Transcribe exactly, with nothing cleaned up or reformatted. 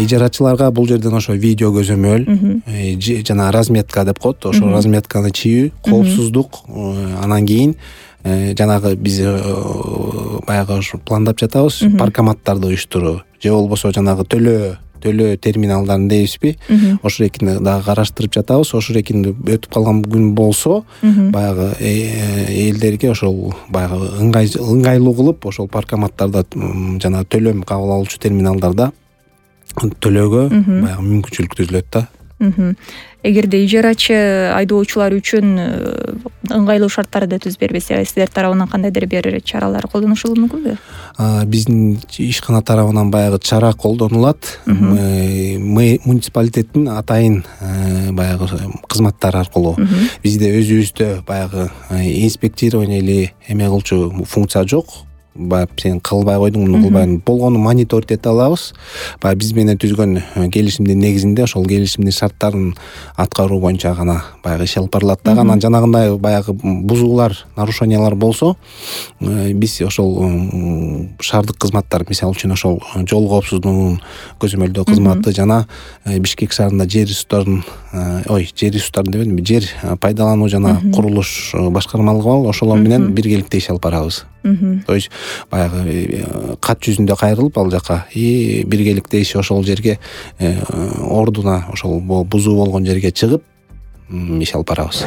ижаратчыларга бул жерден ошо видео көзөмөл жана разметка деп коет, ошо разметканы чийүү, коопсуздук, анан кийин жанагы биз баягы ушу пландап жатабыз, паркоматтарды уюштуруу же болбосо жанагы төлөө төлөө терминалдарын дейбизби, ошол экини дагы караштырып жатабыз. Ошол экини өтүп калган күн болсо, баягы элдерге ошол баягы ыңгайлуу кылып, ошол паркоматтарда жана төлөм кабыл алуучу терминалдарда төлөөгө баягы мүмкүнчүлүк түзүлөт да. Эгерде ижаратчы айдоочулар үчүн ыңгайлуу шарттарды түзүп бербесе, сиздер тарабынан кандайдыр бир чаралар колдонушулуу мүмкүнбү? Биздин ишкана тарабынан баягы чара колдонулат. Муниципалитеттин атайын баягы кызматтары аркылуу. Бизде өзүбүздө баягы инспектирование или эме кылчу функция жок. Баягы сен кылбай койдуң, муну кылбайсың, болгону мониторить эте алабыз. Баягы биз менен түзгөн келишимдин негизинде ошол келишимдин шарттарын аткаруу боюнча гана баягы иш алып барылат да. Анан жанагындай баягы бузуулар, нарушениялар болсо, биз ошол шаардык кызматтар, мисалы үчүн ошол жол коопсуздугунун көзөмөлдөө кызматы жана Бишкек шаарында жер ресурстарын, ой, жер ресурстарын дебедимби, жер пайдалануу жана курулуш башкармалыгы бар, ошолор менен биргеликте иш алып барабыз. То есть баягы кат жүзүндө кайрылып ал жака и биргеликте иш ошол жерге ордуна, ошол бузуу болгон жерге чыгып иш алып барабыз.